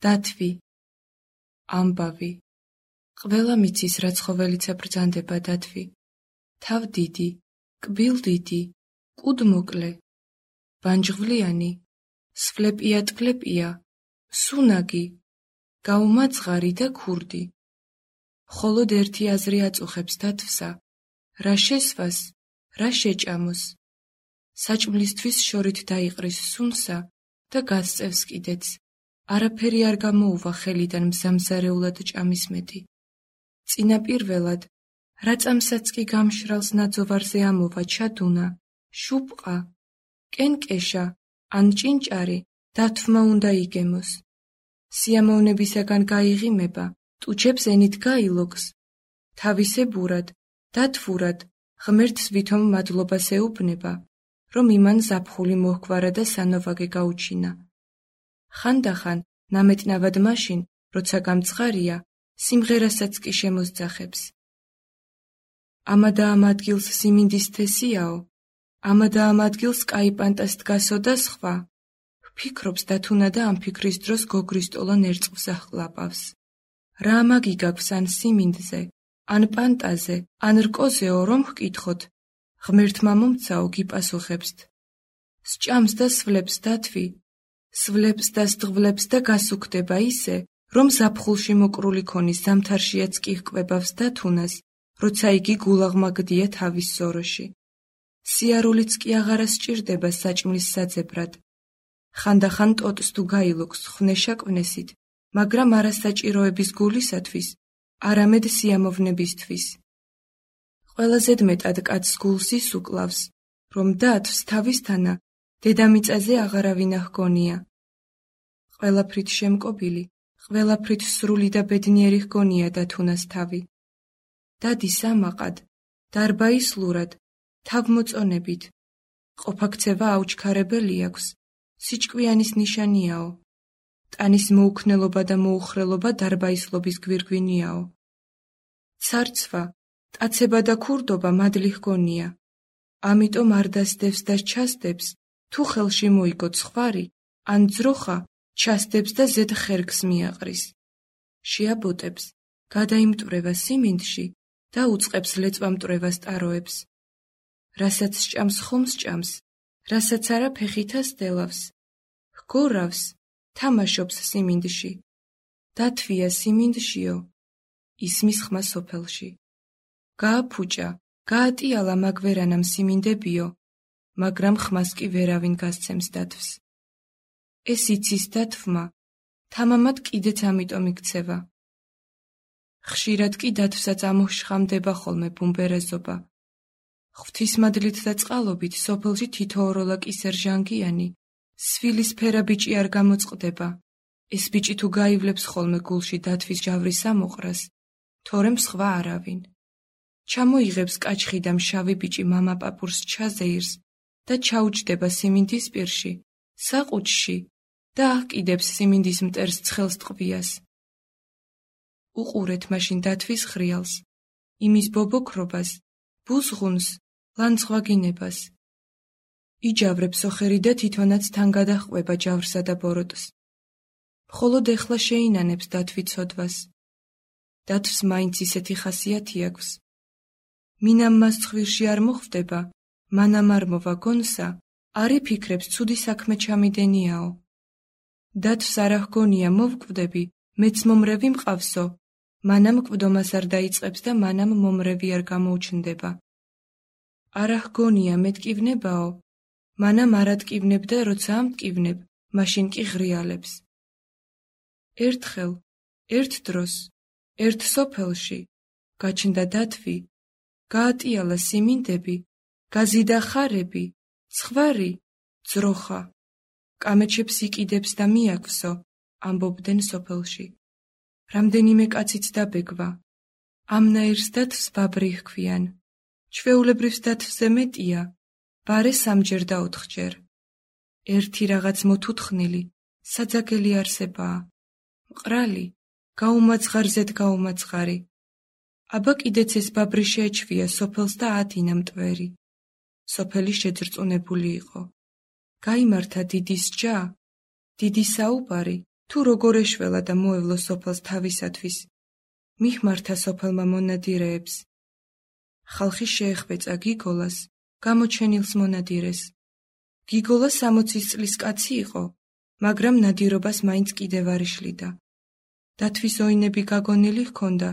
დათვი, ამბავი. ყველა მიცის, რა ცხოველიცა ბრძანდება დათვი. თავ დიდი, კბილ დიდი, კუდ მოკლე, ბანჯღვლიანი, სფლეპია ტფლეპია, სუნაგი, გაუმაძღარი და ქურდი. მხოლოდ ერთი აზრი აწუხებს დათვსა, რა შესვას, რა შეჭამოს. საჭმლისთვის შორით დაიყრის სუნსა და გასწევს კიდეც. არაფერი არ გამოუვა ხელიდან მზამზარეულად ჭამის მეტი. წინაპირველად, რა წამსაც კი გამშრალს ნაძოვარზე ამოვა ჩადუნა, შუპყა, კენკეშა, ან ჭინჭარი დათვმა უნდა იგემოს. სიამოვნებისაგან გაიღიმება, ტუჩებს ენით გაილოგს. თავისებურად, დათვურად, ღმერთს ვითომ მადლობას ეუბნება, რომ იმან ზაფხული მოჰგვარა და სანოვაგე გაუჩინა. ხანდახან, ნამეტნავად მაშინ, როცა გამწყარია, სიმღერასაც კი შემოსძახებს. ამადა ამ ადგილს სიმინდის თესიაო, ამადა ამ ადგილს კაიპანტას დგასო და სხვა. ვფიქრობს დათუნა და ამ ფიქრის დროს გოგრისტოლან ერწყმს ახკლაპავს. რა ამაგი გაქვს ან სიმინდზე, ან პანტაზე, ან რკოზეო, რომ ჰკითხოთ, ღმერთმა მომცაო გიპასუხებსთ. სჭამს და სვლებს დათვი, სვლებს და სდღვლებს და გასუქდება ისე, რომ ზაფხულში მოკრული ქონის ზამთარშიაც კი ჰკვებავს დათუნას, როცა იგი გულაღმაგდია თავის სოროში. სიარულიც კი აღარა სჭირდება საჭმლის საძებრად. ხანდახან ტოტს თუ გაილოგს ხვნეშა კვნესით, მაგრამ არა საჭიროების გულისათვის, არამედ სიამოვნებისთვის. ყველაზე მეტად კაცს გულს ის უკლავს, რომ დათვს თავისთანა დედამიწაზე აღარავინ ჰგონია. ყველაფრით შემკობილი, ყველაფრით სრული და ბედნიერი ჰგონია დათუნას თავი. დადის ამაყად, დარბაისლურად, თავმოწონებით. ყოფაქცევა აუჩქარებელი აქვს, სიჭკვიანის ნიშანიაო. ტანის მოუქნელობა და მოუხრელობა დარბაისლობის გვირგვინიაო. ცარცვა, ტაცება და ქურდობა მადლი ჰგონია. ამიტომ არ დასდევს და ჩასდებს, თუ ხელში მოიგო ცხვარი, ან ძროხა, ჩასდებს და ზედ ხერგს მიაყრის. შეაბოტებს, გადაიმტვრევა სიმინდში და უწყებს ლეწვამტვრევას ტაროებს. რასაც სჭამს ხომ სჭამს, რასაც არა ფეხითას დელავს. ჰგორავს, თამაშობს სიმინდში. დათვია სიმინდშიო, ისმის ხმა სოფელში. გააფუჭა, გაატიალა მაგვერანამ სიმინდებიო, მაგრამ ხმას კი ვერავინ გასცემს დათვს. ეს იცის დათვმა, თამამად კიდეც ამიტომ იქცევა. ხშირად კი დათვსაც ამოშხამდება ხოლმე ბუმბერეზობა. ღვთისმადლით და წყალობით სოფელში თითოეულა კისერჟანგიანი, სვილისფერა ბიჭი არ გამოწყდება. ეს ბიჭი თუ გაივლებს ხოლმე გულში დათვის ჯავრის ამოყრას, თორემ სხვა არავინ. ჩამოიღებს კაჩხი და მშავი ბიჭი მამა პაპურს ჩაზეირს და ჩაუჯდება სიმინდის პირში, საყუჩში და აჰკიდებს სიმინდის მტერს ცხელს ტყვიას. უყურეთ მაშინ დათვის ხრიალს, იმის ბობოქრობას, ბუზღუნს, ლანცღვაგინებას. იჯავრებს ოხერი და თვითონაც თან გადაჰყვება ჯავრსა და ბოროტს. მხოლოდ ეხლა შეინანებს დათვი ცოდვას. დათვს მაინც ისეთი ხასიათი აქვს. მინამ მას ცხვირში არ მოხვდება, მანამ არ მოვა გონსა, არ იფიქრებს ცუდი საქმე ჩამიდენიაო. დათვს არ ჰგონია მოვკვდები, მეც მომრევი მყავსო, მანამ კვდომას არ დაიწყებს და მანამ მომრევი არ გამოუჩნდება. არ ჰგონია მეტკივნებაო, მანამ არ ატკივნებ და როცა ამტკივნებ, მაშინ კი ღრიალებს. ერთხელ, ერთ დროს, ერთ სოფელში, გაჩნდა დათვი, გაატიალა სიმინდები, გაზიდა ხარები, ცხვარი, ძროხა. კამეჩებს იკიდებს და მიაქვსო, ამბობდნენ სოფელში. რამდენიმე კაციც დაბეგვა. ამნაირს დათვს ბაბრი ჰქვიან. ჩვეულებრივს დათვზე მეტია, ბარე სამჯერ და ოთხჯერ. ერთი რაღაც მოთუთხნილი, საძაგელი არსებაა. მყრალი, გაუმაძღარზედ გაუმაძღარი. აბა კიდეც ეს ბაბრი შეეჩვია სოფელს და ადინა მტვერი. სოფელი შეძრწუნებული იყო. გაიმართა დიდი სჯა, დიდი საუბარი თუ როგორ ეშველა და მოევლო სოფელს თავისათვის, მიხმართა სოფელმა მონადირეებს. ხალხი შეეხვეწა გიგოლას, გამოჩენილს მონადირეს. გიგოლა 60 წლის კაცი იყო, მაგრამ ნადირობას მაინც კიდევ არ იშლიდა. დათვის ოინები გაგონილი ჰქონდა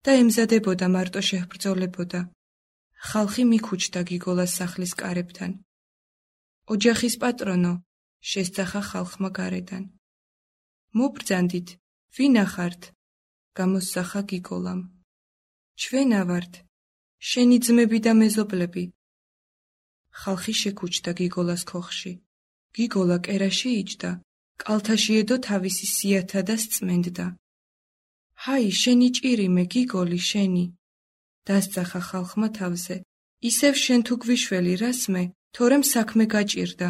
და ემზადებოდა მარტო შეჰბრძოლებოდა. ხალხი მიქუჩდა გიგოლას სახლის კარებთან. ოჯახის პატრონო, შესძახა ხალხმა გარედან. მობრძანდით, ვინა ხართ? გამოსძახა გიგოლამ. ჩვენა ვართ, შენი ძმები და მეზობლები. ხალხი შეკუჩდა გიგოლას ქოხში. გიგოლა კერაში იჯდა, კალთაში ედო თავისი სიათა და სწმენდდა. ჰაი, შენი ჭირიმე, გიგოლი, შენი. დასძახა ხალხმა თავზე. ისევ შენ თუ გვიშველი რასმე, თორემ საქმე გაჭირდა.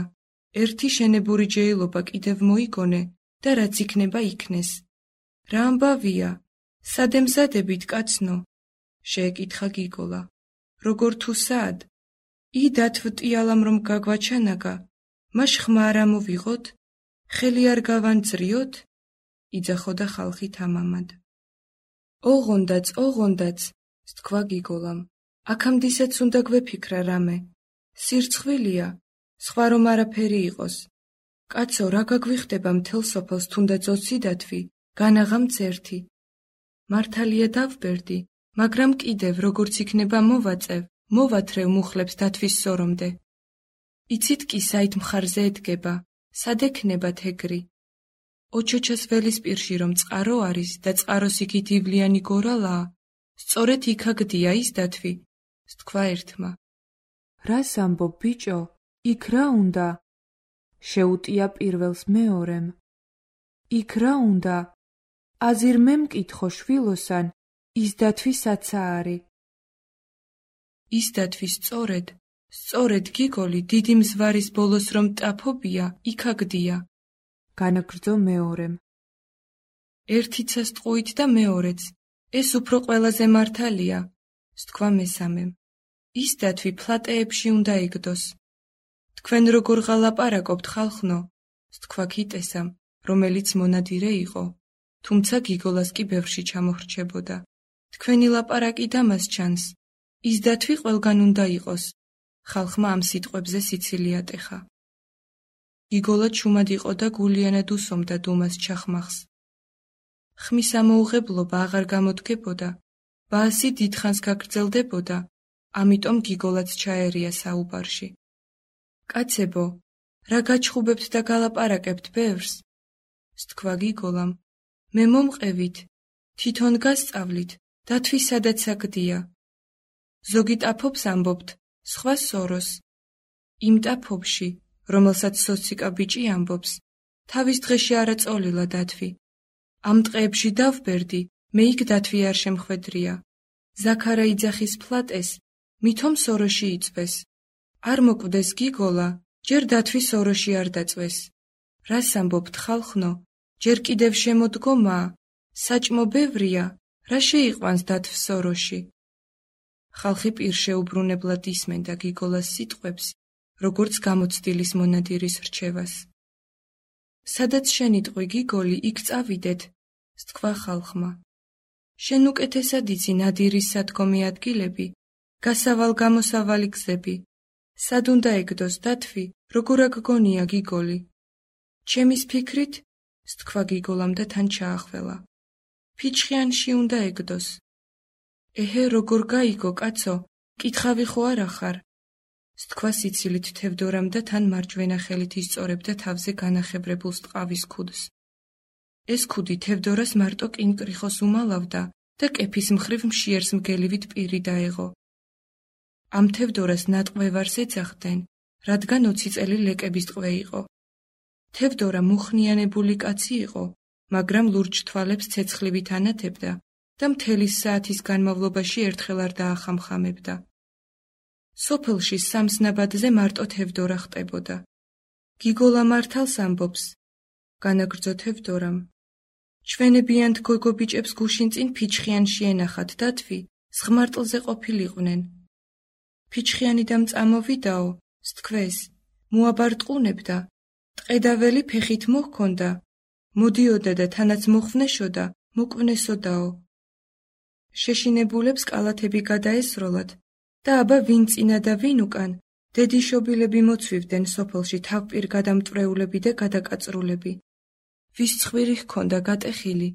ერთი შენებური ჯეილობა კიდევ მოიგონე და რაც იქნება იქნეს. რა ამბავია? სად ემზადებით, კაცნო? შეეკითხა გიგოლა. როგორ თუ სად? დათვტიალამ რომ გაგვაჩანაგა, მაშ ხმა არ ამოვიღოთ? ხელი არ გავანძრიოთ? იძახოდა ხალხი თამამად. ოღონდაც, თქვა გიგოლამ. აქამდისაც უნდა გვეფიქრა რამე. სირცხვილია, სხვა რომ არაფერი იყოს. კაცო, რა გაგვიხდება მთელ სოფელს თუნდაც 20 დათვი, განაღამც ერთი. მართალია დავბერდი, მაგრამ კიდევ როგორც იქნება მოვათრევ მუხლებს დათვის სორომდე. იცით კი საით მხარზე ედგება, სად ექნებათ ეგრი? ოჩოჩას ველის პირში რომ წყარო არის და წყაროს იქით ივლიანი გორალაა, სწორედ იქაგდია ის დათვი, თქვა ერთმა. რას ამბობ, ბიჭო? იქ რა უნდა? შეუტია პირველს მეორემ. იქ რა უნდა? აზირ მე მკითხო შვილოსან, ის დათვი საცა არი. ის დათვი სწორედ გიგოლი დიდი მზვარის ბოლოს რომ ტაფობია, იქაგდია. განაგრძო მეორემ. ერთიცა სტყუით და მეორეც, ეს უფრო ყველაზე მართალია, თქვა მესამემ. ის დათვი ფლატეებში უნდა იგდოს. თქვენ როგორ ღალაპარაკობთ, ხალხნო, თქვა ქიტესამ, რომელიც მონადირე იყო, თუმცა გიგოლას კი ბევრში ჩამოხრჩებოდა. თქვენი ლაპარაკი დამას ჩანს, ის დათვი ყველგან უნდა იყოს. ხალხმა ამ სიტყვებზე სიცილი ატეხა. გიგოლა ჩუმად იყო და გულიანად უსომდა დუმას ჩახმახს. ხმის ამოუღებლობა აღარ გამოდგებოდა, ბაასი დიდხანს გაგრძელდებოდა, ამიტომ გიგოლაც ჩაერია საუბარში. კაცებო, რა გაჩხუბებთ და გალაპარაკებთ ბევრს? თქვა გიგოლამ. მე მომყევით, თვითონ გასწავლით, დათვი სადაც აგდია. ზოგი ტაფობს ამბობთ, სხვა სოროს. იმ ტაფობში, რომელსაც სოციკა ბიჭი ამბობს, თავის დღეში არა წოლილა დათვი. ამ ტყეებში დავბერდი, მე იქ დათვი არ შემხვედრია. ზაქარა იძახის ფლატეს, მithom სოროში იწვეს. არ მოკვდეს გიგოლა, ჯერ დათვი სოროში არ დაწვეს. რას ამბობთ, ხალხნო? ჯერ კიდევ შემოდგომაა, საჭმო ბევრია, რა შეიყვანს დათვს სოროში? ხალხი პირშეუბრუნებლად ისმენდა გიგოლას სიტყვებს, როგორც გამოცდილის მონადირის რჩევას. სადაც შენიტყვი, გიგოლი, იქ წავიდეთ, თქვა ხალხმა. შენ უკეთესად იცი ნადირის სადგომი ადგილები, გასავალ-გამოსავალი გზები. სად უნდა ეგდოს დათვი, როგორ აგგონია, გიგოლი? ჩემის ფიქრით, თქვა გიგოლამ და თან ჩაახველა. ფიჩხიანში უნდა ეგდოს. ეჰე, როგორ გაიგო, კაცო, კითხავი ხო არ ახარ? თქვა სიცილით თევდორამ და თან მარჯვენა ხელით ისწორებდა თავზე განახებრებულ სტყავის ქუდს. ეს ქუდი თევდორას მარტო კინკრიხოს უმალავდა და კეფის მხრივ მშიერს მგელივით პირი დაეღო. ამ თევდორას ნატყვევარს ეძახდნენ, რადგან 20 წელი ლეკების ტყვე იყო. თევდორა მუხნიანებული კაცი იყო, მაგრამ ლურჯ თვალებს ცეცხლივით ანათებდა და მთელი საათის განმავლობაში ერთხელ არ დაახამხამებდა. სოფელში სამს ნაბადზე მარტო თევდორა ხტებოდა. გიგოლა მართალს ამბობს, განაგრძო თევდორამ. ჩვენებიანთ გოგო ბიჭებს გუშინ წინ ფიჩხიანში ენახათ დათვი, სღმარტლზე ყოფილიყვნენ. ფიჩხიანი და მწამოვიდაო, სთქვეს, მოაბარტყუნებდა, ტყედაველი ფეხით მოჰქონდა, მოდიოდა და თანაც მოხვნეშოდა, მოკვნესოდაო. შეშინებულებს კალათები გადაესროლათ და აბა ვინ წინა და ვინ უკან, დედიშობილები მოცვივდნენ სოფელში თავპირ გადამტვრეულები და გადაკაწრულები. ვის ცხვირი ჰქონდა გატეხილი,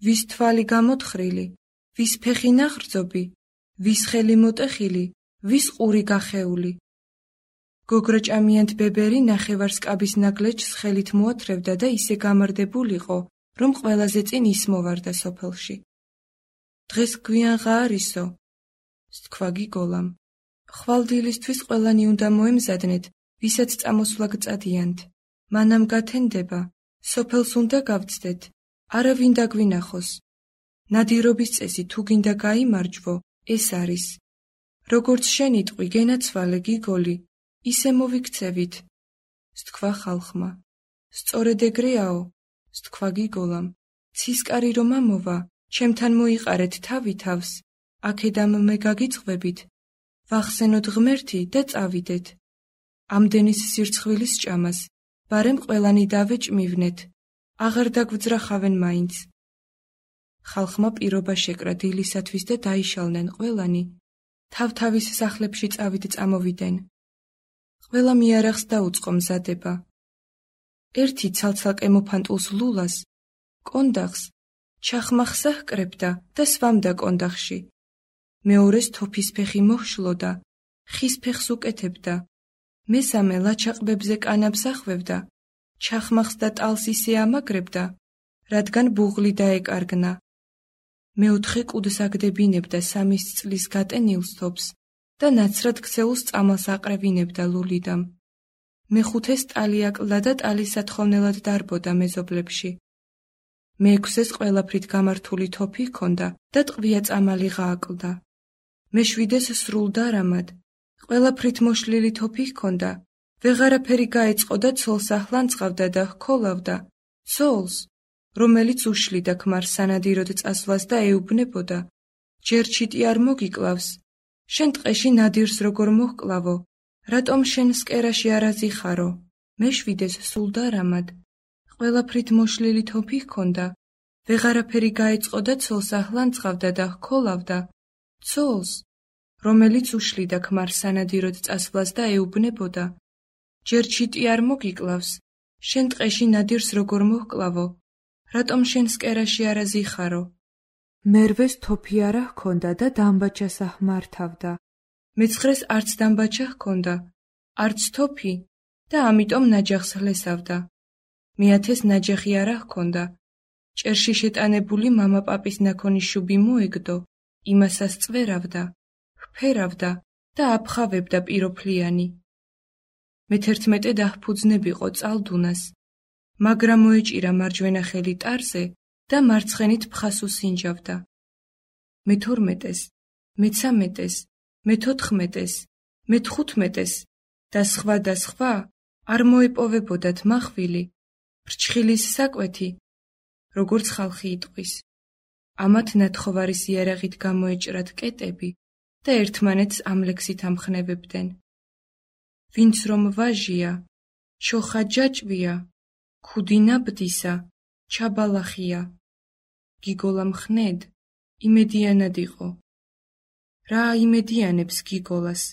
ვის თვალი გამოთხრილი, ვის ფეხი ნაღრძობი, ვის ხელი მოტეხილი, ვის ყური გახეული. გოგრაჭამიანთ ბებერი ნახევარსკაბის ნაგლეჯს ხელით მოათრევდა და ისე გამარდებულიყო, რომ ყველაზე წინ ის მოვარდა სოფელში. დღეს გვიანღა არისო, სთქვა გიგოლამ. ხვალდილისთვის ყველანი უნდა მოემზადნეთ, ვისაც წამოსვლა გწადიანთ. მანამ გათენდება, სოფელს უნდა გავცდეთ, არა ვინ დაგვინახოს. ნადირობის წესი თუ გინდა გაიმარჯვო, ეს არის. როგორც შენი ტყვი გენაცვალე გიგოლი, ისე მოვიქცევით, სთქვა ხალხმა. სწორედ ეგრეაო, სთქვა გიგოლამ. ცისკარი რომ ამოვა, ჩემთან მოიყარეთ თავი თავს, აქედამ მე გაგიძღვებით. ვახსენოთ ღმერთი და წავიდეთ. ამდენის სირცხვილის ჭამას, ბარემ ყველანი დავეჭმივნეთ, აღარ დაგვძრახავენ მაინც. ხალხმა პირობა შეკრა დილისათვის და დაიშალნენ ყველანი, თავ-თავის სახლებში წავით წამოვიდნენ. ყველა მიარაღს დაუწყო მზადება. ერთი ცალ-ცალკე მოფანტულს ლულას, კონდახს, ჩახმახსა ჰკრებდა და სვამდა კონდახში. მეორეს თოფის ფეხი მოჰშლოდა, ხის ფეხს უკეთებდა. მესამე ლაჩაყბებზე კანაბს ახვევდა, ჩახმახს და ტალს ისე ამაგრებდა, რადგან ბუღლი დაეკარგნა. მეოთხე კუდს აგდებინებდა 3 წლის გატენილს თოფს და ნაცრად ქცეულს წამალს აყრევინებდა ლულიდამ. მეხუთეს ტალი აკლდა და ტალის სათხოვნელად დარბოდა მეზობლებში. მეექვსეს ყველაფრით გამართული თოფი ჰქონდა და ტყვია წამალი გააკლდა. მეშვიდეს სრულ დარამად, ყველაფრით მოშლილი თოფი ჰქონდა, ვეღარაფერი გაეწყო და ცოლს ახლანწყავდა და ჰქოლავდა, ცოლს, რომელიც უშლიდა ქმარს სანადიროდ წასვლას და ეუბნებოდა, ჯერ ჩიტი არ მოგიკლავს, შენ ტყეში ნადირს როგორ მოჰკლავო, რატომ შენ სკერაში არ აზიხარო? მეშვიდეს სულ დარამად, ყველაფრით მოშლილი თოფი ჰქონდა, ვეღარაფერი გაეწყო და ცოლს ახლანწყავდა და ჰქოლავდა, ცოლს, რომელიც უშლიდა ქმარს სანადიროდ წასვლას და ეუბნებოდა, ჯერ ჩიტი არ მოგიკლავს, შენ ტყეში ნადირს როგორ მოჰკლავო, რატომ შენ სკერაში არ აზიხარო? მერვეს თოფი არა ჰქონდა და დამბაჩას აჰმართავდა. მეცხრეს არც დამბაჩა ჰქონდა, არც თოფი და ამიტომ ნაჯახს ჰლესავდა. მეათეს ნაჯახი არა ჰქონდა. ჭერში შეტანებული მამა პაპის ნაქონი შუბი მოეგდო, იმასაც წვერავდა, ჰფერავდა და აფხავებდა პიროფლიანი. მე-11 დაჰფუძნებიყო წალდუნას, მაგრამ მოეჭირა მარჯვენა ხელი ტარზე და მარცხენით ფხას უსინჯავდა. მე-12-ეს, მე-13-ეს, მე-14-ეს, მე-15-ეს და სხვა არ მოეპოვებოდათ მახვილი, ფრჩხილის საკვეთი, როგორც ხალხი იტყვის. ამათ ნათხოვარის იარაღით გამოეჭრათ კეტები და ერთმანეთს ამ ლექსით ამხნევებდნენ. ვინც რომ ვაჟია, ჩოხა ჯაჭვია, ქუდი ნაბდისა, ჩაბალახია. გიგოლა მხნედ, იმედიანად იყო. რა იმედიანებს გიგოლას?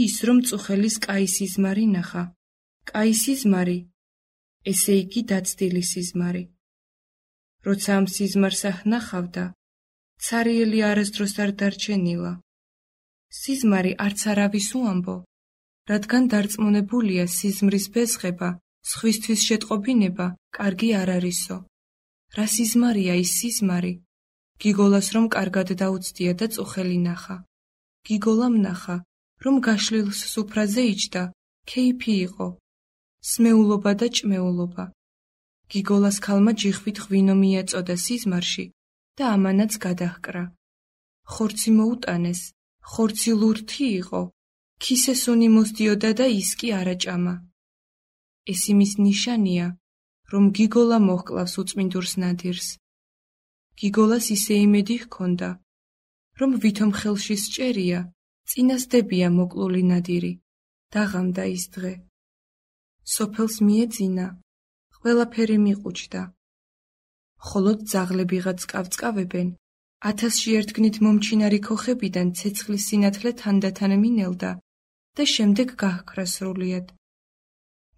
ის რომ წუხელის კაი სიზმარი ნახა. კაი სიზმარი, ესე იგი დაცდილი სიზმარი. როცა ამ სიზმარს აჰნახავდა, ცარიელი არასდროს არ დარჩენილა. სიზმარი არც არავის უამბო, რადგან დარწმუნებულია სიზმრის ბეზღება, სხვისთვის შეტყობინება კარგი არ არისო. რა სიზმარია ის სიზმარი? გიგოლას რომ კარგად დაუცდია და წუხელი ნახა. გიგოლამ ნახა, რომ გაშლილს სუფრაზე იჯდა, ქეიფი იყო, სმეულობა და ჭმეულობა. გიგოლას ქალმა ჯიხვით ღვინო მიაწოდა სიზმარში და ამანაც გადაჰკრა. ხორცი მოუტანეს, ხორცი ლურთი იყო, ქისესუნი მოსდიოდა და ის კი არაჭამა. ეს იმის ნიშანია, რომ გიგოლა მოჰკლავს უწმინდურს ნადირს. გიგოლას ისე იმედი ჰქონდა, რომ ვითომ ხელში სჭერია, წინასდებია მოკლული ნადირი. დაღამდა ის დღე. სოფელს მიეძინა, ყველაფერი მიყუჩდა. მხოლოდ ძაღლებიღაც კავწკავებენ, 1000-ში ერთგნით მომჩინარი ქოხებიდან ცეცხლის სინათლე თანდათან მინელდა და შემდეგ გაჰქრა სრულიად.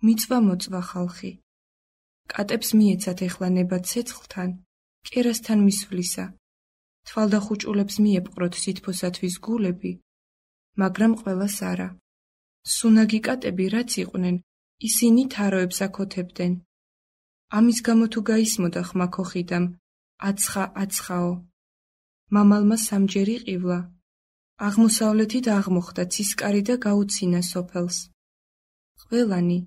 მიწვა-მოწვა ხალხი. კატებს მიეცათ ეხლა ნება ცეცხლთან, კერასთან მისვლისა. თვალდახუჭულებს მიეპყროთ სითბოსათვის გულები, მაგრამ ყველას არა. სუნაგი კატები რაც იყვნენ, ისინი თაროებს აკოთებდნენ. ამის გამო თუ გაისმოდა ხმა ქოხიდამ, აცხაო. მამალმა სამჯერ იყივლა. აღმოსავლეთით აღმოხდა ცისკარი და გაუცინა სოფელს. ყველანი,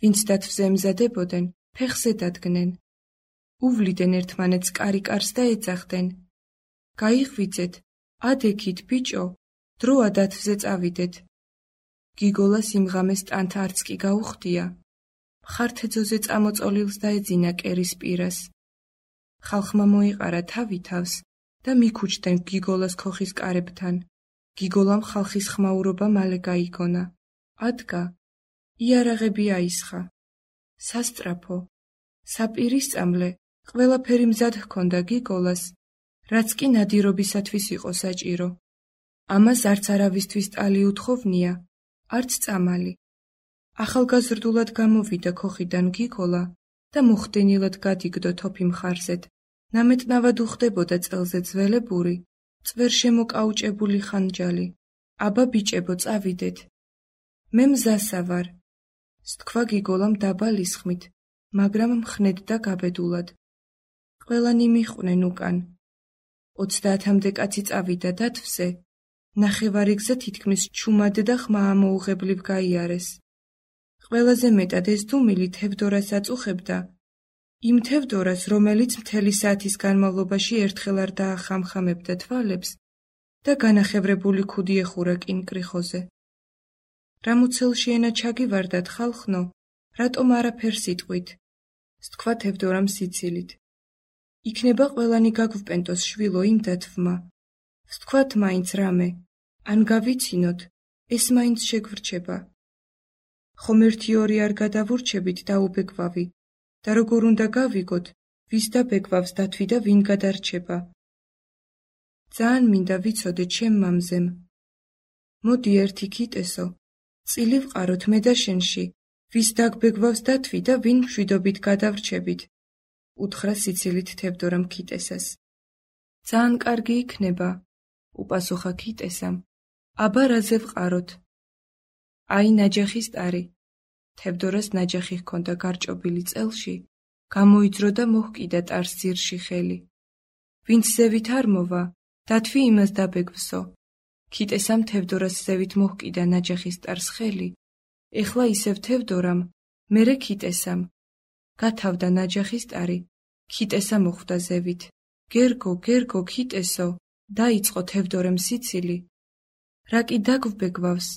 ვინც დათვზე ემზადებოდნენ, ფეხზე დადგნენ. უვლიდნენ ერთმანეთს კარიკარს და ეძახდნენ. გაიღვიძეთ, ადექით ბიჭო, დროა დათვზე წავიდეთ. გიგოლას იმღამეს ტანთ არც კი გაუხდია. მხართეძოზე წამოწოლილს დაეძინა კერის პირას. ხალხმა მოიყარა თავი თავს და მიქუჩდნენ გიგოლას ქოხის კარებთან. გიგოლამ ხალხის ხმაურობა მალე გაიგონა. ადგა, იარაღები აისხა. სასწრაფო, საპირისწამლე, ყველაფერი მზად ჰქონდა გიგოლას, რაც კი ნადირობისათვის იყო საჭირო. ამას არც არავისთვის ტალი უთხოვნია, არც წამალი. ახალგაზრდულად გამოვიდა ქოხიდან გიგოლა და მოხდენილად გადიგდო თოფი მხარზეთ. ნამეტნავად უხდებოდა წელზე ძველებური, წვერ შემოკაუჭებული ხანჯალი. აბა ბიჭებო, წავიდეთ. მე მზასა ვარ. სთქვა გიგოლამ დაბალ ისხმით, მაგრამ მხნედ და გაბედულად. ყველანი მიჰყვნენ უკან. 30-მდე კაცი წავიდა დათვზე. ნახევარი გზა თითქმის ჩუმად და ხმა ამოუღებლივ გაიარეს. ყველაზე მეტად ეს დუმილი თევდორას აწუხებდა. იმ თევდორას, რომელიც მთელი საათის განმავლობაში ერთხელ არ დაახამხამებდა თვალებს და განახევრებული ქუდი ეხურა კინკრიხოზე. რამუცელში ენა ჩაგივარდათ ხალხნო, რატომ არაფერს იტყვით? სთქვა თევდორამ სიცილით. იქნება ყველანი გაგვპენტოს შვილო იმ დათვმა. ვთქვათ მაინც რამე, ან გავიცინოთ, ეს მაინც შეგვრჩება. ხომ 1-2 არ გადავურჩებით დაუბეგვავი და როგორ უნდა გავიგოთ, ვის დაბეგვავს დათვი და ვინ გადარჩება. ძალიან მინდა ვიცოდე ჩემ მამზემ. მოდი ერთი კიტესო, წილი ვყაროთ მე და შენში, ვის დაგბეგვავს დათვი და ვინ მშვიდობით გადავრჩებით. უთხრა სიცილით თევდორამ კიტესას. ძალიან კარგი იქნება, უპასუხა კიტესამ. აბა რაზე ვყაროთ? აი ნაჯახის ტარი. თევდორას ნაჯახი ჰქონდა გარჭობილი წელში, გამოიძრო და მოჰკიდა ტარს ძირში ხელი. ვინც ზევით არ მოვა, დათვი იმას დაბეგვსო. კიტესამ თევდორას ზევით მოჰკიდა ნაჯახის ტარს ხელი. ეხლა ისევ თევდორამ, მერე კიტესამ. გათავდა ნაჯახის ტარი, კიტესა მოხვდა ზევით. გერგო, გერგო, კიტესო, დაიწყო თევდორემ სიცილი. რა კი დაგვბეგვავს?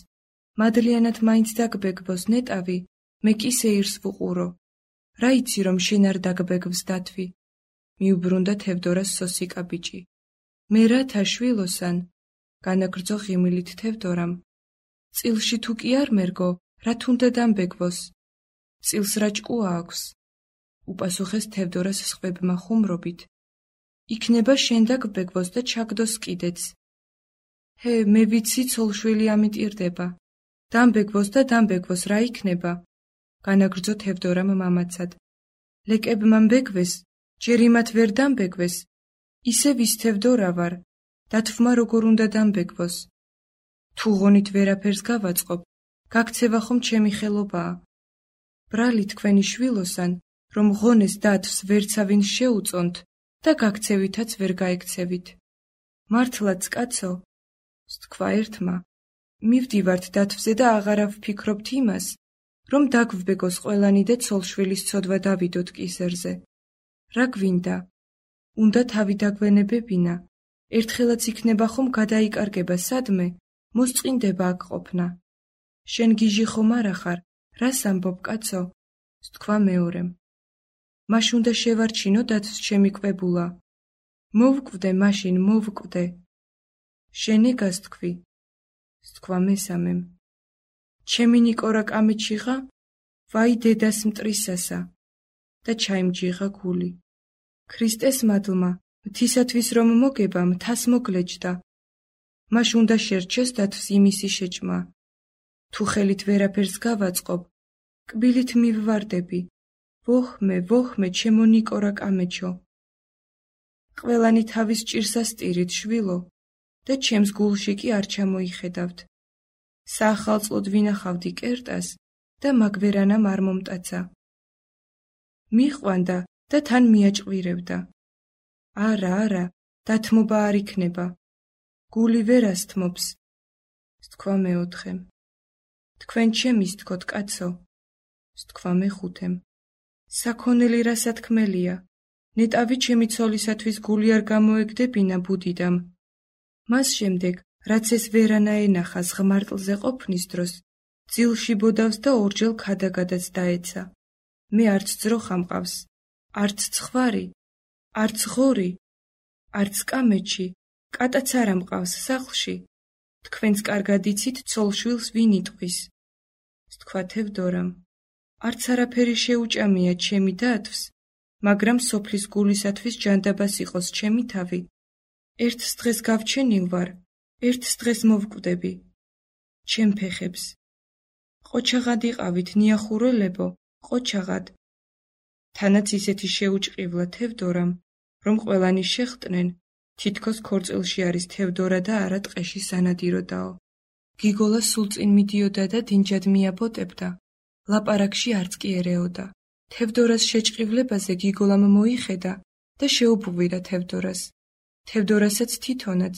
მადლიანად მაინც დაგბეგვოს ნეტავი, მე კი სეირს ვუყურო. რა იცი რომ შენ არ დაგბეგვს დათვი? მიუბრუნდა თევდორას სოსიკა ბიჭი. მე რათა შვილოსან? განაგრძო ღიმილით თევდორამ. წილში თუ კი არ მერგო, რა თუნდა დამბეგვოს? წილს რა ჭკუა აქვს? უპასუხეს თევდორას სხვებმა ხუმრობით. იქნება შენ დაგბეგვოს და ჩაგდოს კიდეც. ჰე, მე ვიცი ცოლშვილი ამიტირდება. დამბეგვოს და დამბეგვოს რა იქნება? განაგრძო თევდორამ მამაცად. ლეკებმა მბეგვეს, ჯერ იმათ ვერ დამბეგვეს. ისე ვის თევდორა ვარ, დათვმა როგორ უნდა დამბეგვოს. თუ ღონით ვერაფერს გავაწყობ, გაქცევა ხომ ჩემი ხელობაა. ბრალი თქვენი შვილოსან, რომ ღონეს დათვს ვერცავინ შეუწონთ და გაქცევითაც ვერ გაექცევით. მართლაც კაცო, სთქვა ერთმა, მივდივართ დათვზე და აღარა ვფიქრობთ იმას, რომ დაგვბეგოს ყველანი და ცოლშვილის ცოდვა დავიდოთ კისერზე. რა გვინდა? უნდა თავი დაგვენებებინა, ერთხელაც იქნება ხომ გადაიკარგება სადმე, მოსწყინდება აქ ყოფნა. შენ გიჟი ხომ არა ხარ, რას ამბობ კაცო? სთქვა მეორემ. მაშ უნდა შევარჩინო დათვს ჩემი კვებულა. მოვკვდე მაშინ, მოვკვდე. შენ ეგას თქვი. სთქვა მესამემ. ჩემი ნიკორა კამეჩიღა, ვაი დედას მტრისასა და ჩაიმჯიღა გული. ქრისტეს მადლმა, მთისათვის რომ მოგება მთას მოგლეჯდა. მაშ უნდა შერჩეს დათვს იმისი შეჭმა. თუ ხელით ვერაფერს გავაწყობ, კბილით მივვარდები. ვოხმე, ვოხმე, ჩემო ნიკორა კამეჩო. ყველანი თავის ჭირს ასტირით, შვილო, და ჩემს გულში კი არ ჩამოიხედავთ. საახალწლოდ ვინახავდი კერტას და მაგვერანამ არ მომტაცა. მიყვანდა და თან მიაჭყვირებდა. არა, დათმობა არ იქნება. გული ვერ ასთმობს. სთქვა მეოთხემ. თქვენ ჩემის თქოთ, კაცო. სთქვა მეხუთემ. საქონელი რა სათქმელია. ნეტავი ჩემი ცოლისათვის გული არ გამოეგდებინა ბუდიდამ. მას შემდეგ, რაც ეს ვერანა ენახა ზღმარტლზე ყოფნის დროს, ძილში ბოდავს და ორჯერ ქადაგადაც დაეცა. მე არც ძროხა მყავს, არც ცხვარი, არც ღორი, არც კამეჩი, კატაც არა მყავს სახლში. თქვენც კარგად იცით ცოლშვილს ვინ იტყვის. სთქვა თევდორამ. არც არაფერი შეუჭამია ჩემი დათვს, მაგრამ სოფლის გულისათვის ჯანდაბას იყოს ჩემი თავი. ერთს დღეს გავჩენილ ვარ, ერთს დღეს მოვკვდები. ჩემ ფეხებს. ყოჩაღად იყავით, ნიახურელებო, ყოჩაღად. თანაც ისეთი შეუჭყივლა თევდორამ, რომ ყველანი შეხვდნენ, თითქოს ქორწილში არის თევდორა და არა ტყეში სანადიროდაო. გიგოლა სულ წინ მიდიოდა და დინჯად მიაბოტებდა. ლაპარაკში არც კი ერეოდა. თევდორას შეჭყივლებაზე გიგოლამ მოიხედა და შეუბღვირა თევდორას. თევდორასაც თვითონაც,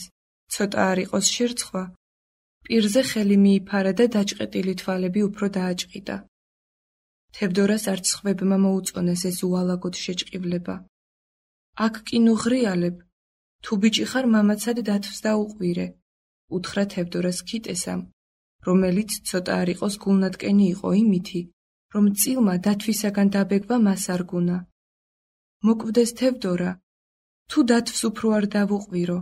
ცოტა არ იყოს შერცხვა. პირზე ხელი მიიფარა და დაჭყეტილი თვალები უფრო დააჭყიდა. თევდორას არც სხვებმა მოუწონეს ეს უალაგოდ შეჭყივლება. აქ კი ნუ ღრიალებ, თუ ბიჭი ხარ მამაცად დათვს დაუყვირე, უთხრა თევდორას ქიტესამ, რომელიც ცოტა არ იყოს გულნატკენი იყო იმითი, რომ წილმა დათვისაგან დაბეგვა მას არ გუნა. მოკვდეს თევდორა, თუ დათვს უფრო არ დავუყვირო.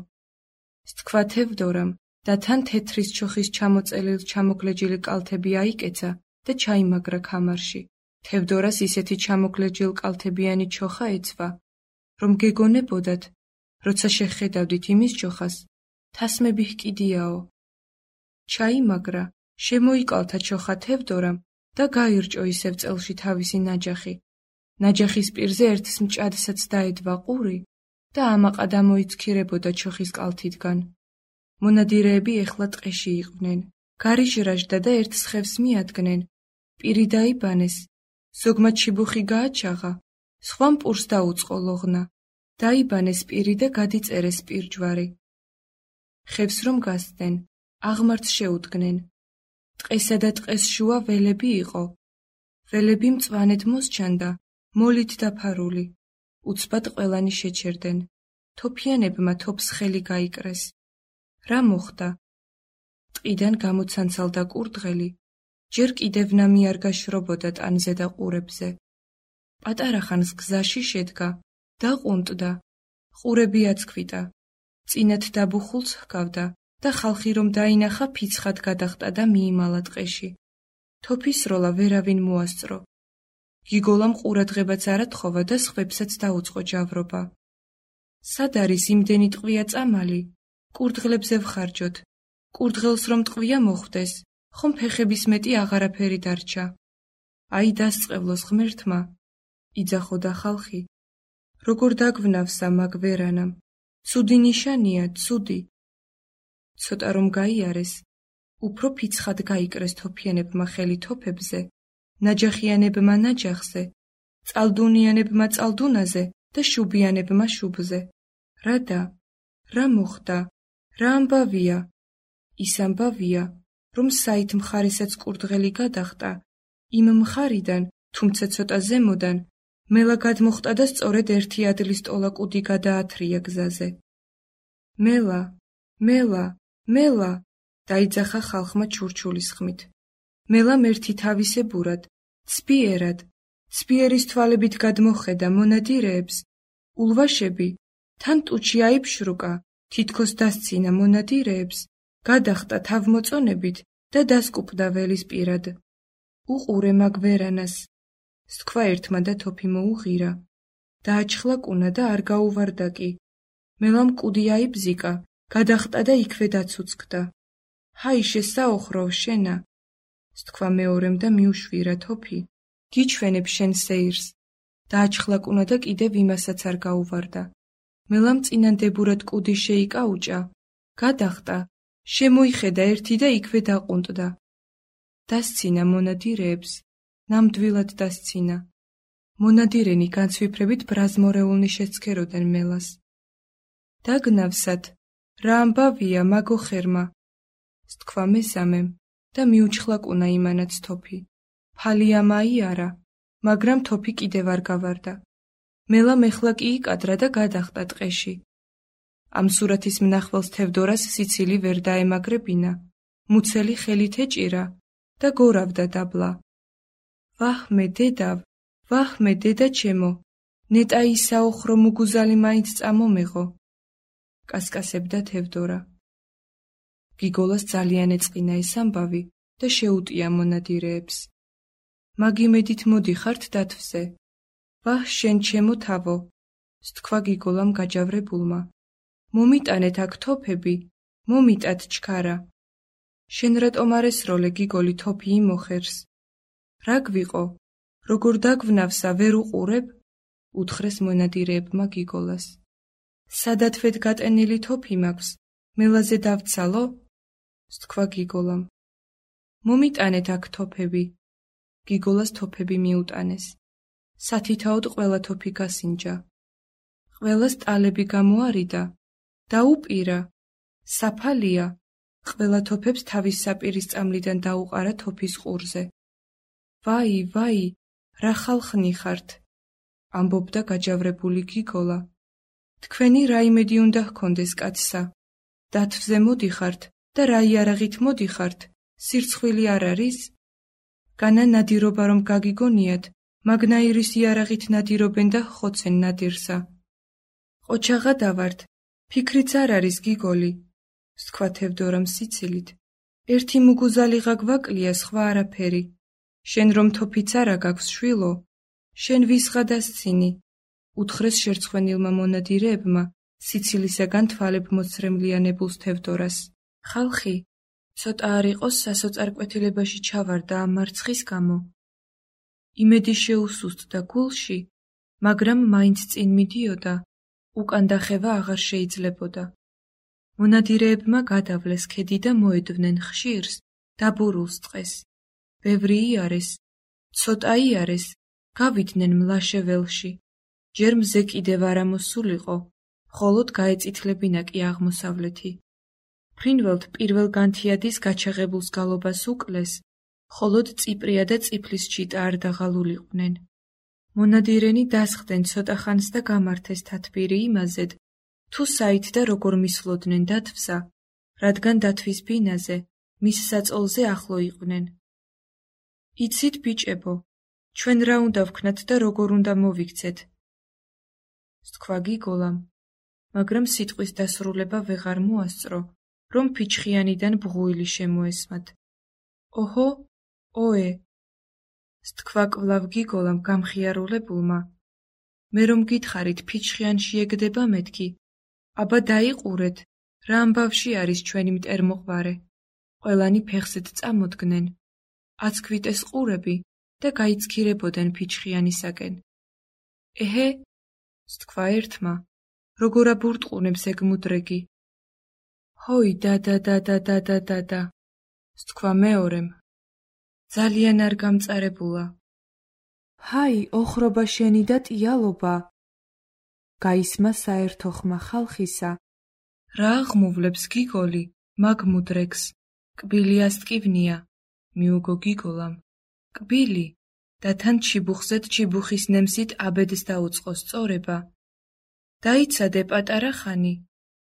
სთქვა თევდორამ და თან თეთრის ჩოხის ჩამოწელილ ჩამოგლეჯილი კალთები აიკეცა და ჩაიმაგრა ქამარში. თევდორას ისეთი ჩამოგლეჯილ კალთებიანი ჩოხა ეცვა, რომ გეგონებოდათ, როცა შეხედავდით იმის ჩოხას, თასმები ჰკიდიაო. ჩაიმაგრა, შემოიკალთა ჩოხა თევდორამ და გაირჭო ისევ წელში თავისი ნაჯახი. ნაჯახის პირზე ერთს მჭადსაც დაედვა ყური და ამაყად ამოიცქირებოდა ჩოხის კალთიდან. მონადირეები ეხლა ტყეში იყვნენ. გარიჟრაჟდა და ერთ სხევს მიადგნენ. პირი დაიბანეს, ზოგმა ჩიბუხი გააჩაღა, სხვამ პურს დაუწყო ლოღნა. დაიბანეს პირი და გადიწერეს პირჯვარი. ხევს რომ გასცდნენ, აღმართს შეუდგნენ. ტყესა და ტყეს შუა ველები იყო. ველები მწვანედ მოსჩანდა, მოლით დაფარული. უცბად ყველანი შეჩერდნენ. თოფიანებმა თოფს ხელი გაიკრეს. რა მოხდა? ტყიდან გამოცანცალდა კურდღელი, ჯერ კიდევ ნამი არ გაშრობოდა ტანზე და ყურებზე. პატარა ხანს გზაში შედგა, დაყუნტდა, ყურები აცქვიტა, წინათ დაბუხულს ჰგავდა და ხალხი რომ დაინახა ფიცხად გადახტა და მიიმალა ტყეში. თოფის როლა ვერავინ მოასწრო. გიგოლამ ყურადღებაც არ ათხოვა და სხვებსაც დაუწყო ჯავრობა. სად არის იმდენი ტყვია წამალი? კურდღლებზე ვხარჯოთ. კურდღელს რომ ტყვია მოხვდეს, ხომ ფეხების მეტი აღარაფერი დარჩა. აი დასწყევლოს ღმერთმა, იძახოდა ხალხი. როგორ დაგვნავსა მაგ ვერანამ, ცუდი ნიშანია, ცუდი. ცოტა რომ გაიარეს, უფრო ფიცხად გაიკრეს თოფიანებმა ხელი თოფებზე, ნაჯახიანებმა ნაჯახზე, წალდუნიანებმა წალდუნაზე და შუბიანებმა შუბზე. რადა? რა მოხდა? რა ამბავია? ის ამბავია, რომ საით მხარესაც კურდღელი გადახტა, იმ მხარიდან, თუმცა ცოტა ზემოდან, მელა გადმოხტა და სწორედ ერთი ადლის ტოლა კუდი გადაათრია გზაზე. მელა, მელა, მელა, დაიძახა ხალხმა ჩურჩულის ხმით. მელამ ერთი თავისებურად, ცბიერად, ცბიერის თვალებით გადმოხედა მონადირეებს, ულვაშები, თან ტუჩი აიფშრუკა, თითქოს დასცინა მონადირეებს, გადახტა თავმოწონებით და დასკუპდა ველის პირად. უყურე მაგ ვერანას, სთქვა ერთმა და თოფი მოუღირა. დააჩხლა კუნა და არ გაუვარდა კი. მელამ კუდი აიბზიკა, გადახტა და იქვე დაცუცქდა. ჰაი შესაოხროვ შენა, სთქვა მეორემ და მიუშვირა თოფი. გიჩვენებ შენ სეირს. დააჩხლა კუნა და კიდევ იმასაც არ გაუვარდა. მელამ წინანდებურად კუდი შეიკაუჭა, გადახტა, შემოიხედა ერთი და იქვე დაყუნტდა. დასცინა მონადირეებს, ნამდვილად დასცინა. მონადირენი განცვიფრებით ბრაზმორეულნი შეცქეროდენ მელას. დაგნავსად, რა ამბავია მაგო ხერმა, სთქვა მესამემ და მიუჩხლა კუნა იმანაც თოფი. ფალი ამაიარა, მაგრამ თოფი კიდევ არ გავარდა. მელამ ეხლა კი იკადრა და გადახტა ტყეში. ამ სურათის მნახველს თევდორას სიცილი ვერ დაემაგრებინა, მუცელი ხელით ეჭირა და გორავდა დაბლა. ვაჰმე დედავ, ვაჰმე დედა ჩემო, ნეტა ისაოხრო მუგუზალი მაინც წამომეღო, კასკასებდა თევდორა. გიგოლას ძალიან ეწყინა ეს ამბავი და შეუტია მონადირეებს. მაგიმედით მოდიხართ დათვზე. ვაჰ შენ ჩემო თავო, სთქვა გიგოლამ გაჯავრებულმა. მომიტანეთ აქ თოფები, მომიტათ ჩქარა. შენ რატომ არ ესროლე გიგოლი თოფი იმოხერს? რა გვიყო? როგორ დაგვნავსა ვერ უყურებ? უთხრეს მონადირეებმა გიგოლას. სადათვეთ გატენილი თოფი მაქვს, მელაზე დავცალო? სთქვა გიგოლამ. მომიტანეთ აქ თოფები. გიგოლას თოფები მიუტანეს. სათითაოდ ყველა თოფი გასინჯა. ყველას ტალები გამოარიდა. დაუპირა. საფალია. ყველა თოფებს თავის საპირის წამლიდან დაუყარა თოფის ყურზე. ვაი, ვაი, რა ხალხნი ხართ, ამბობდა გაჯავრებული გიგოლა. თქვენი რა იმედი უნდა ჰქონდეს კაცსა? დათვზე მოდიხართ და რა იარაღით მოდიხართ? სირცხვილი არ არის? განა ნადირობა რომ გაგიგონიათ, მაგნაირის იარაღით ნადირობენ და ხოცენ ნადირსა. ყოჩაღა დავართ, ფიქრიც არ არის გიგოლი, სთქვა თევდორამ სიცილით. ერთი მუგუზალიღა გვაკლია, სხვა არაფერი. შენ რომ თოფიც არა გაქვს შვილო, შენ ვისღა დასცინი, უთხრეს შერცხვენილმა მონადირეებმა სიცილისაგან თვალებ მოცრემლიანებულს თევდორას. ხალხი, ცოტა არ იყოს სასოწარკვეთილებაში ჩავარდა ამ მარცხის გამო. იმედი შეუსუსტდა გულში, მაგრამ მაინც წინ მიდიოდა, უკან დახევა აღარ შეიძლებოდა. მონადირეებმა გადავლეს ქედი და მოედვნენ ხშირს, დაბურულს ტყეს. ბევრი იარეს, ცოტა იარეს, გავიდნენ მლაშე ველში. ჯერ მზე კიდევ არ ამოსულიყო, მხოლოდ გაეწითლებინა კი აღმოსავლეთი. ფრინველთ პირველ განთიადის გაჩაღებულს გალობას უკლეს, მხოლოდ წიპრია და წიფლის ჩიტა არ დაღალულიყვნენ. მონადირენი დასხდნენ ცოტა ხანს და გამართეს თათბირი იმაზედ, თუ საით და როგორ მისვლოდნენ დათვსა, რადგან დათვის ბინაზე, მის საწოლზე ახლო იყვნენ. იცით ბიჭებო, ჩვენ რა უნდა ვქნათ და როგორ უნდა მოვიქცეთ? სთქვა გიგოლამ, მაგრამ სიტყვის დასრულება ვეღარ მოასწრო, რომ ფიჩხიანიდან ბღუილი შემოესმათ. ოჰო, ოე, სთქვა კვლავ გიგოლამ გამხიარულებულმა. მე რომ გითხარით ფიჩხიანში ეგდება მეთქი, აბა დაიყურეთ, რა ამბავში არის ჩვენი მტერმოყვარე. ყველანი ფეხზედ წამოდგნენ. აცქვიტეს ყურები და გაიცქირებოდნენ ფიჩხიანისაკენ. ეჰე, სთქვა ერთმა, როგორ აბურტყუნებს ეგ მუდრეგი. ჰოი და, სთქვა მეორემ. ძალიან არ გამწარებულა. ჰაი, ოხრობა შენი და ტიალობა. გაისმა საერთო ხმა ხალხისა. რა აღმუვლებს გიგოლი, მაგ მუდრეგს, კბილი ასტკივნია, მიუგო გიგოლამ. კბილი, და თან ჩიბუხზედ ჩიბუხის ნემსით აბედს დაუწყო სწორება. დაიცადე პატარა ხანი,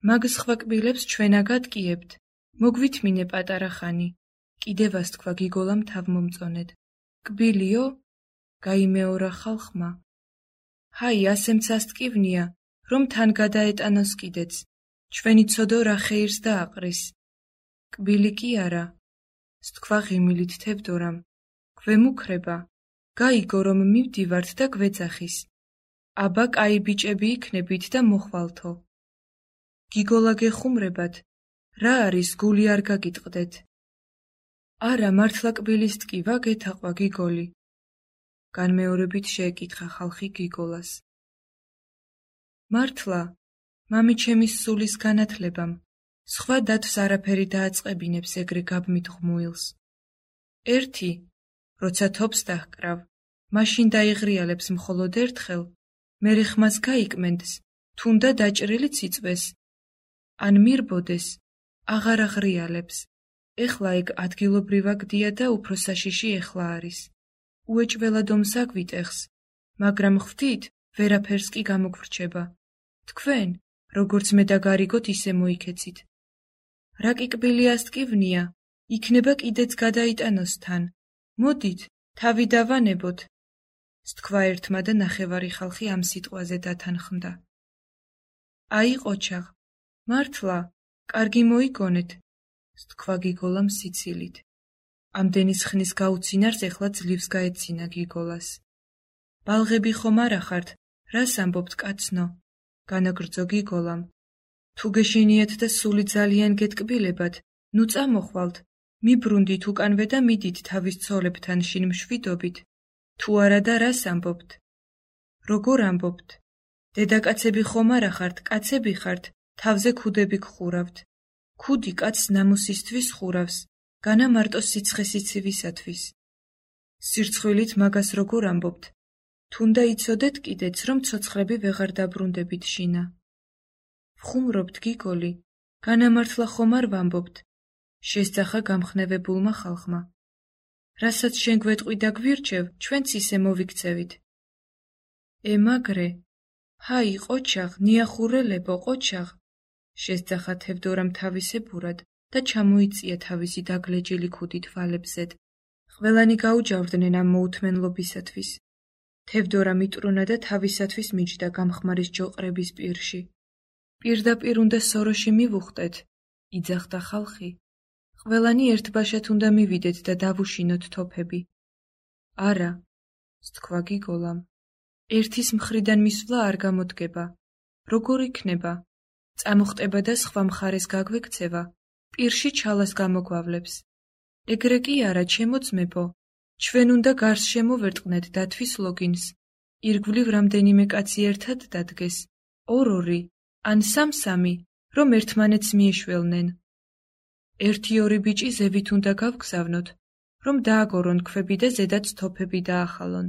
მაგ სხვა კბილებს ჩვენ აგატკიებთ, მოგვითმინე პატარა ხანი, კიდევ ასთქვა გიგოლამ თავმომწონედ. კბილიო? გაიმეორა ხალხმა. ჰაი, ასემც ასტკივნია, რომ თან გადაეტანოს კიდეც, ჩვენი ცოდო რა ხეირს დააყრის. კბილი კი არა, სთქვა ღიმილით თევდორამ. გვემუქრება, გაიგო რომ მივდივართ და გვეძახის. აბა კაი ბიჭები იქნებით და მოხვალთო. გიგოლა გეხუმრებათ, რა არის გული არ გაგიტყდეთ. არა, მართლა კბილის ტკივა გეთაყვა გიგოლი. განმეორებით შეეკითხა ხალხი გიგოლას. მართლა, მამიჩემის სულის განათლებამ, სხვა დათვს არაფერი დააწყებინებს ეგრე გაბმით ღმუილს. ერთი, როცა თობს დაჰკრავ, მაშინ დაიღრიალებს მხოლოდ ერთხელ, მერე ხმას გაიკმენდს, თუნდა დაჭრილიც იწვეს. ან მირბოდეს, აღარ აღრიალებს. ეხლა ეგ ადგილობრივა გდია და უფრო საშიში ეხლა არის. უეჭველად ომს აგვიტეხს, მაგრამ ხვდით, ვერაფერს კი გამოგვრჩება. თქვენ, როგორც მე და გარიგოთ ისე მოიქეცით. რა კი კბილი ასტკივნია, იქნება კიდეც გადაიტანოს თან. მოდით, თავი დავანებოთ. სთქვა ერთმა და ნახევარი ხალხი ამ სიტყვაზე დათანხმდა. აი ყოჩაღ, მართლა, კარგი მოიგონეთ, სთქვა გიგოლამ სიცილით. ამდენის ხნის გაუცინარს ეხლა ძლივს გაეცინა გიგოლას. ბალღები ხომ არა ხართ, რას ამბობთ კაცნო? განაგრძო გიგოლამ. თუ გეშინიათ და სული ძალიან გეტკბილებათ, ნუ წამოხვალთ, მიბრუნდით უკანვე და მიდით თავის ცოლებთან შინ მშვიდობით. თუ არა და რას ამბობთ? როგორ ამბობთ? დედაკაცები ხომ არა ხართ, კაცები ხართ, თავზე ქუდები გხურავთ. ქუდი კაცს ნამუსისთვის ხურავს, განა მარტო სიცხე-სიცივისათვის. სირცხვილით მაგას როგორ ამბობთ? თუნდა იცოდეთ კიდეც, რომ ცოცხლები ვეღარ დაბრუნდებით შინა. ვხუმრობთ გიგოლი, განა მართლა ხომ არ ვამბობთ? შესძახა გამხნევებულმა ხალხმა. რასაც შენ გვეტყვი და გვირჩევ, ჩვენც ისე მოვიქცევით. მაგრე, ჰაი ყოჩაღ, ნიახურელებო ყოჩაღ, შესძახა თევდორამ თავისებურად და ჩამოიწია თავისი დაგლეჯილი ქუდით ვალებზედ. ყველანი გაუჯავდნენ ამ მოუთმენლობისათვის. თევდორა მიტრუნა და თავისათვის მიჯდა გამხმარის ჯოყრების პირში. პირდაპირ უნდა სოროში მივუხტეთ, იძახდა ხალხი. ყველანი ერთბაშად უნდა მივიდეთ და დავუშინოთ თოფები. არა, სთქვა გიგოლამ. ერთის მხრიდან მისვლა არ გამოდგება. როგორ იქნება? წამოხტება და სხვა მხარეს გაგვექცევა, პირში ჩალას გამოგვავლებს. ეგრე კი არა, ჩემო ძმებო, ჩვენ უნდა გარს შემოვერტყნეთ დათვის ლოგინს. ირგვლივ რამდენიმე კაცი ერთად დადგეს, ორ-ორი, ან სამ-სამი, რომ ერთმანეთს მიეშველნენ. ერთი-ორი ბიჭი ზევით უნდა გავგზავნოთ, რომ დააგორონ ქვები და ზედაც თოფები დაახალონ.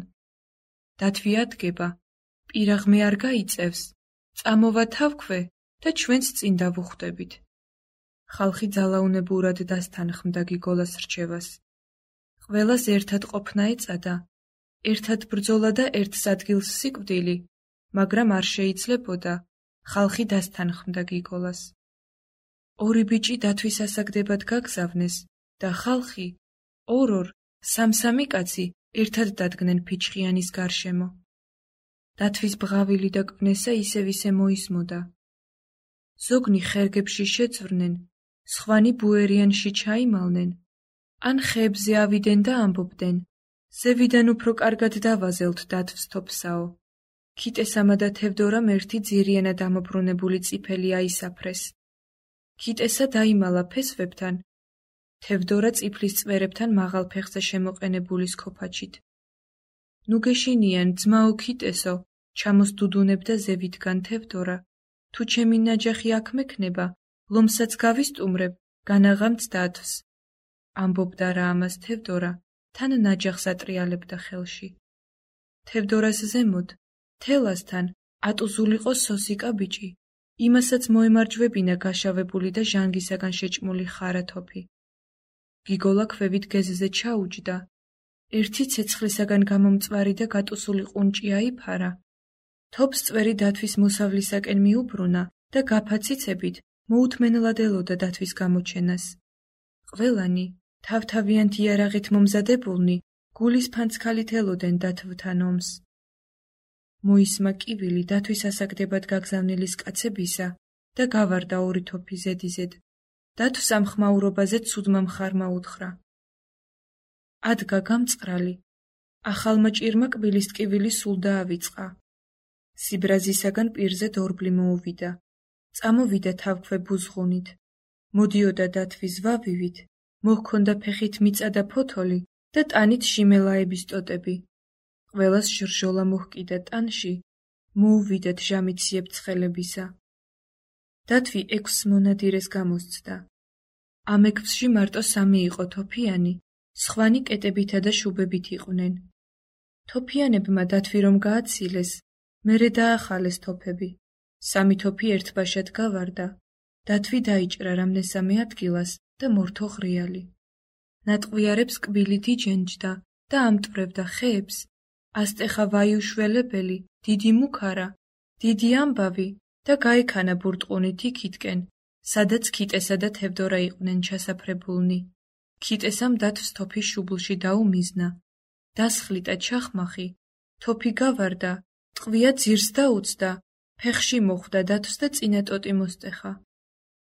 დათვი ადგება, პირაღმე არ გაიწევს, წამოვა თავქვე და ჩვენც წინ დავუხვდებით. ხალხი ძალაუნებურად დასთანხმდა გიგოლას რჩევას. ყველას ერთად ყოფნა ეწადა, ერთად ბრძოლა და ერთს ადგილს სიკვდილი, მაგრამ არ შეიძლებოდა, ხალხი დასთანხმდა გიგოლას. ორი ბიჭი დათვის ასაგდებად გაგზავნეს და ხალხი, ორ-ორ, სამ-სამი კაცი ერთად დადგნენ ფიჩხიანის გარშემო. დათვის ბღავილი და კვნესა ისევ-ისე მოისმოდა. ზოგნი ხერგებში შეძვრნენ, სხვანი ბუერიანში ჩაიმალნენ, ან ხეებზე ავიდნენ და ამბობდნენ, ზევიდან უფრო კარგად დავაზელთ დათვს თოფსაო. ქიტესამა და თევდორამ ერთი ძირიანად ამობრუნებული წიფელი აისაფრეს. ქიტესა დაიმალა ფესვებთან, თევდორა წიფლის წვერებთან მაღალ ფეხზე შემოყენებული სქოფაჩით. ნუ გეშინიან, ძმაო ქიტესო, ჩამოსდუდუნებდა ზევითგან თევდორა. თუ ჩემი ნაჯახი აქ მექნება, ლომსაც გავისტუმრებ, განაღამც დათვს. ამბობდა რა ამას თევდორა, თან ნაჯახს ატრიალებდა ხელში. თევდორას ზემოთ, თელასთან, ატუზულიყო სოსიკა ბიჭი, იმასაც მოემარჯვებინა გაშავებული და ჟანგისაგან შეჭმული ხარა თოფი. გიგოლა ქვევით გეზზე ჩაუჯდა. ერთი ცეცხლისაგან გამომწვარი და გატუსული ყუნჭი აიფარა. თოფს წვერი დათვის მოსავლისაკენ მიუბრუნა და გაფაციცებით მოუთმენლად ელოდა დათვის გამოჩენას. ყველანი, თავთავიანთ იარაღით მომზადებულნი, გულის ფანცქალით ელოდნენ დათვთან ომს. მოისმა კივილი დათვის ასაგდებად გაგზავნილის კაცებისა და გავარდა ორი თოფი ზედიზედ. დათვს ამ ხმაურობაზე ცუდმა მხარმა უთხრა. ადგა გამწყრალი, ახალმა ჭირმა კბილის ტკივილი სულ დაავიწყა. სიბრაზისაგან პირზე დორბლი მოუვიდა. წამოვიდა თავქვე ბუზღუნით. მოდიოდა დათვის ვავივით, მოჰქონდა ფეხით მიწა და ფოთოლი და ტანით შიმელაების ტოტები. ყველას ჟრჟოლა მოჰკიდა ტანში, მოუვიდათ ჟამით სიებცხელებისა. დათვი 6 მონადირეს გამოსცდა. ამ 6-ში მარტო 3 იყო თოფიანი, სხვანი კეტებითა და შუბებით იყვნენ. თოფიანებმა დათვი რომ გააცილეს, მერე დაახალეს თოფები. 3 თოფი ერთბაშად გავარდა. დათვი დაიჭრა რამდენსამე ადგილას და მორთო ღრიალი. ნატყვიარებს კბილით იჯენჯდა და ამტვრევდა ხეებს. ასტეხა ვაიუშველებელი, დიდი მუქარა, დიდი ამბავი და გაიქანა ბურტყუნით იქითკენ, სადაც ქიტესა და თევდორა იყვნენ ჩასაფრებულნი. ქიტესამ დათვს თოფი შუბლში დაუმიზნა. დასხლიტა ჩახმახი, თოფი გავარდა, ტყვია ძირს დაუწდა, ფეხში მოხვდა დათვს და წინა ტოტი მოსტეხა.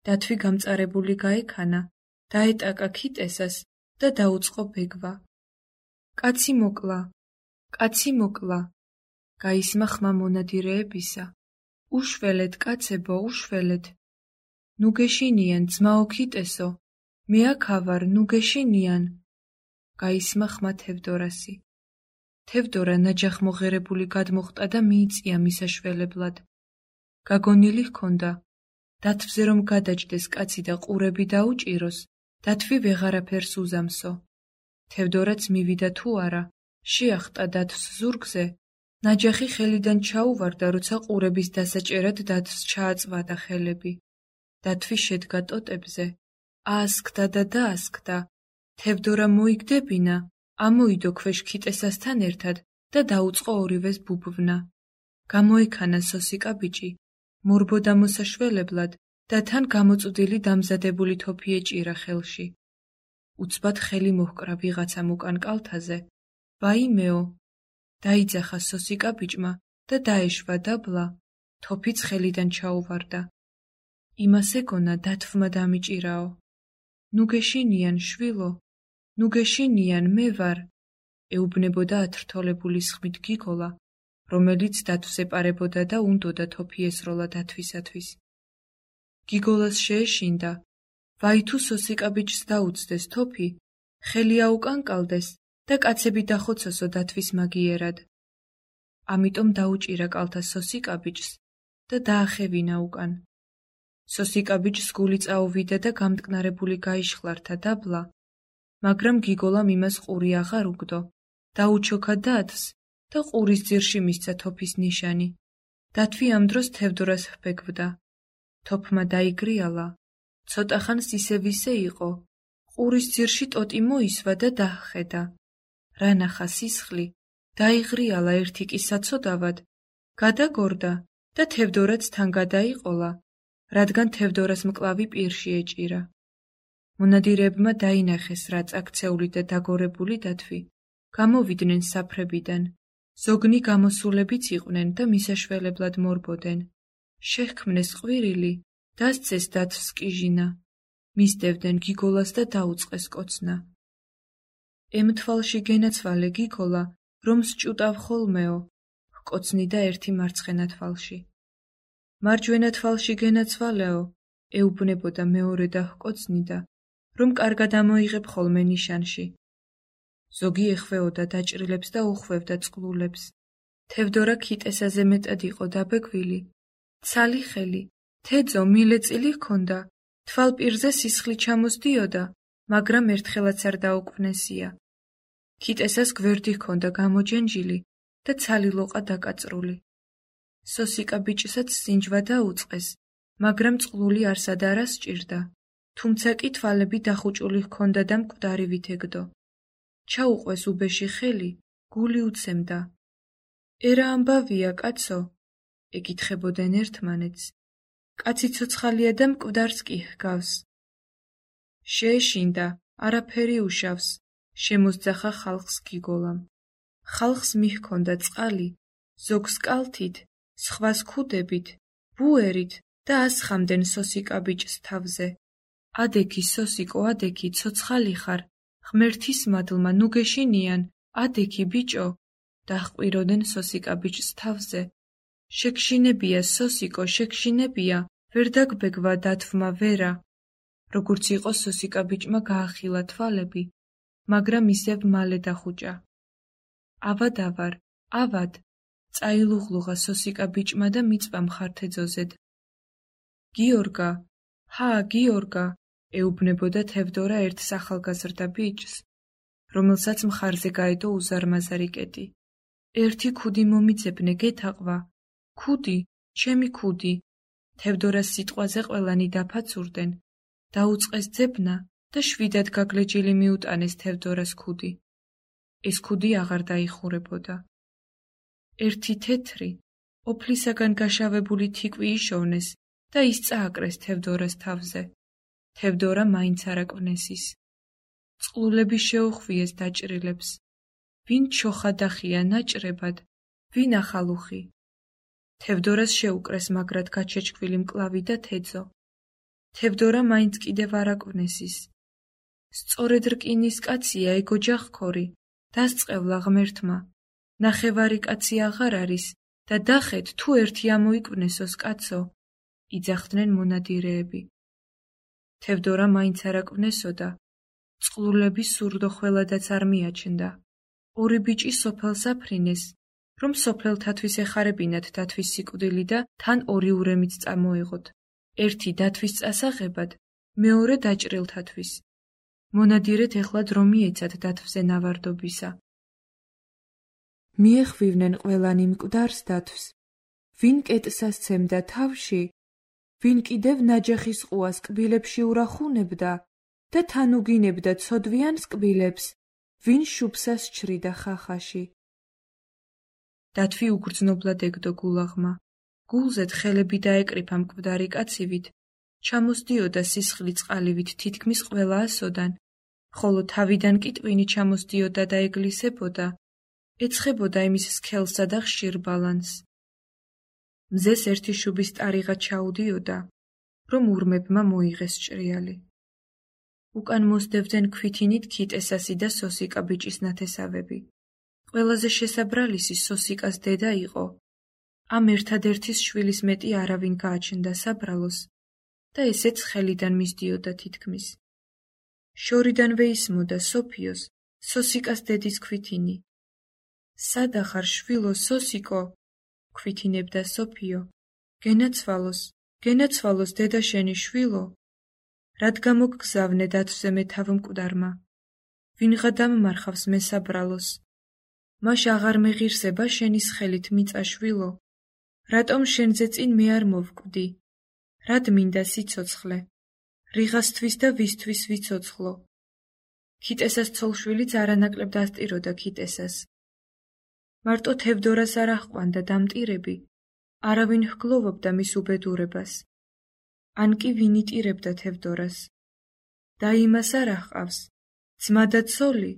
დათვი გამწარებული გაექანა, დაეტაკა ქიტესას და დაუწყო ბეგვა. კაცი მოკლა, კაცი მოკლა, გაისმა ხმა მონადირეებისა. უშველეთ, კაცებო, უშველეთ. ნუ გეშინიან, ძმაო ქიტესო, მე აქ ავარ, ნუ გეშინიან. გაისმა ხმა თევდორასი. თევდორა ნაჯახმოღერებული გადმოხტა და მიიწია მისაშველებლად. გაგონილი ჰქონდა. დათვზე რომ გადაჯდეს კაცი და ყურები დაუჭიროს, დათვი ვეღარაფერს უზამსო. თევდორაც მივიდა თუ არა, შეახტა დათვს ზურგზე, ნაჯახი ხელიდან ჩაუვარდა, როცა ყურების დასაჭერად დათვს ჩააწვადა ხელები. დათვი შედგა ტოტებზე, აასქდა და დაასქდა. თევდორა მოიგდებინა, ამოიდო ქვეშ ქიტესასთან ერთად და დაუწყო ორივეს ბუბვნა. გამოექანა სოსიკა ბიჭი, მორბოდა მოსაშველებლად და თან გამოწვდილი დამზადებული თოფი ეჭირა ხელში. უცბად ხელი მოჰკრა ვიღაცამ უკან კალთაზე. ვაიმეო! დაიძახა სოსიკა ბიჭმა და დაეშვა დაბლა, თოფიც ხელიდან ჩაუვარდა. იმას ეგონა დათვმა დამიჭირაო. ნუ გეშინიან, შვილო, ნუ გეშინიან, მე ვარ, ეუბნებოდა ათრთოლებული სხმით გიგოლა, რომელიც დათვს ეპარებოდა და უნდოდა თოფი ესროლა დათვისათვის. გიგოლას შეეშინდა, ვაი თუ სოსიკა ბიჭს დაუწდეს თოფი, ხელი აუკანკალდეს და კაცები დახოცოსო დათვის მაგიერად. ამიტომ დაუჭირა კალთა სოსიკა ბიჭს და დაახევინა უკან. სოსიკა ბიჭს გული წაუვიდა და გამტკნარებული გაიშხლართა დაბლა, მაგრამ გიგოლამ იმას ყური აღარ უგდო, დაუჩოქა დათვს და ყურის ძირში მისცა თოფის ნიშანი. დათვი ამ დროს თევდორას ჰბეგვდა. თოფმა დაიგრიალა, ცოტა ხანს ისევ ისე იყო, ყურის ძირში ტოტი მოისვა და დაჰხედა. რა ნახა სისხლი, დაიღრიალა ერთი კი საცოდავად, გადაგორდა და თევდორაც თან გადაიყოლა, რადგან თევდორას მკლავი პირში ეჭირა. მონადირეებმა დაინახეს, რა წაქცეული და დაგორებული დათვი, გამოვიდნენ საფრებიდან, ზოგნი გამოსულებიც იყვნენ და მისაშველებლად მორბოდენ. შეჰქმნეს ყვირილი, დასცეს დათვს კიჟინა, მისდევდნენ გიგოლას და დაუწყეს კოცნა. ემთვალში გენაცვალე გიგოლა, რომ სჭუტავ ხოლმეო, ჰკოცნიდა ერთი მარცხენა თვალში. მარჯვენა თვალში გენაცვალეო, ეუბნებოდა მეორე და ჰკოცნიდა, რომ კარგად ამოიღებ ხოლმე ნიშანში. ზოგი ეხვეოდა დაჭრილებს და უხვევდა წყლულებს. თევდორა ქიტესაზე მეტად იყო დაბეგვილი. ცალი ხელი, თეძო მილეწილი ჰქონდა, თვალპირზე სისხლი ჩამოსდიოდა, მაგრამ ერთხელაც არ დაუკვნესია. ქიტესას გვერდი ჰქონდა გამოჯენჯილი და ცალი ლოყა დაკაწრული. სოსიკა ბიჭსაც სინჯვა დაუწყეს, მაგრამ წყლული არსად არ ასჭირდა, თუმცა კი თვალები დახუჭული ჰქონდა და მკვდარი ვითეგდო. ჩაუყვეს უბეში ხელი, გული უცემდა. ერა ამბავია, კაცო, ეკითხებოდნენ ერთმანეთს. კაცი ცოცხალია და მკვდარს კი ჰგავს. შეეშინდა, არაფერი უშავს, შემოსძახა ხალხს გიგოლამ. ხალხს მიჰქონდა წყალი, ზოგს კალთით, სხვას ქუდებით, ბუერით და ასხამდნენ სოსიკა ბიჭს თავზე. ადექი სოსიკო, ადექი, ცოცხალი ხარ, ღმერთის მადლმა, ნუ გეშინიან, ადექი ბიჭო, დაჰყვიროდნენ სოსიკა ბიჭს თავზე. შეგშინებია, სოსიკო, შეგშინებია, ვერ დაგბეგვა დათვმა ვერა. როგორც იყო სოსიკა ბიჭმა გაახილა თვალები, მაგრამ ისევ მალე დახუჭა. ავად, ავად, წაილუღლუღა სოსიკა ბიჭმა და მიწვა მხართეძოზედ. გიორგა, გიორგა, ეუბნებოდა თევდორა ერთ ახალგაზრდა ბიჭს, რომელსაც მხარზე გაედო უზარმაზარი კეტი. ერთი ქუდი მომიძებნე, გეთაყვა. ქუდი, ჩემი ქუდი. თევდორას სიტყვაზე ყველანი დაფაცურდნენ. დაუწყეს ძებნა და შვიდად გაგლეჯილი მიუტანეს თევდორას ქუდი. ეს ქუდი აღარ დაიხურებოდა. ერთი თეთრი, ოფლისაგან გაშავებული თიკვი იშოვნეს და ის წააკრეს თევდორას თავზე. თევდორა მაინც არ აკვნესის. წყლულები შეუხვიეს დაჭრილებს. ვინ ჩოხა დახია ნაჭრებად, ვინ ახალუხი. თევდორას შეუკრეს მაგრად გაჩეჩქვილი მკლავი და თეძო. თევდორა მაინც კიდევ არ აკვნესის. სწორედ რკინის კაცია ეგ ოჯახქორი, დასწყევლა ღმერთმა. ნახევარი კაცი აღარ არის და დახეთ თუ ერთი ამოიკვნესოს კაცო, იძახდნენ მონადირეები. თევდორა მაინც არ აკვნესოდა. წყლულები სურდოხველადაც არ მიაჩნდა. ორი ბიჭი სოფელს აფრინეს, რომ სოფელთათვის ეხარებინათ დათვის სიკვდილი და თან ორი ურემიც წამოეღოთ. ერთი დათვის წასაღებად, მეორე დაჭრილთათვის. მონადირეთ ეხლა დრო მიეცათ დათვზე ნავარდობისა. მიეხვივნენ ყველანი მკვდარს დათვს, ვინ კეტს ასცემდა თავში, ვინ კიდევ ნაჯახის ყუას კბილებში ურახუნებდა და თან უგინებდა ცოდვიანს კბილებს, ვინ შუბსას ჩრიდა ხახაში. დათვი უგრძნობლად ეგდო გულაღმა. გულზედ ხელები დაეკრიფა მკვდარი კაცივით, ჩამოსდიოდა სისხლი წყალივით თითქმის ყველა ასოდან, ხოლო თავიდან კი ტვინი ჩამოსდიოდა და ეგლისებოდა, ეცხებოდა იმის სქელსა და ხშირ ბალანს. მზეს ერთი შუბის ტარიღა ჩაუდიოდა, რომ ურმებმა მოიღეს ჭრიალი. უკან მოსდევდნენ ქვითინით ქიტესასი და სოსიკა ბიჭის ნათესავები. ყველაზე შესაბრალისი სოსიკას დედა იყო. ამ ერთადერთის შვილის მეტი არავინ გააჩნდა საბრალოს და ესეც ხელიდან მისდიოდა თითქმის. შორიდანვე ისმოდა სოფიოს, სოსიკას დედის ქვითინი. სადახარ შვილო სოსიკო, ქვითინებდა სოფიო. გენაცვალოს დედა შენი შვილო. რად გამოგგზავნე დათვზე მე თავ მკვდარმა. ვინღა დამმარხავს მე საბრალოს. მაშ აღარ მეღირსება შენის ხელით მიწა შვილო. რატომ შენზე წინ მე არ მოვკვდი? რად მინდა სიცოცხლე? რიღასთვის და ვისთვის ვიცოცხლო? ქიტესას ცოლშვილიც არანაკლებ დასტიროდა ქიტესას. მარტო თევდორას არ აჰყვანდა დამტირები, არავინ ჰგლოვობდა მის უბედურებას. ან კი ვინ იტირებდა თევდორას. და იმას არ აჰყავს, ძმა და ცოლი,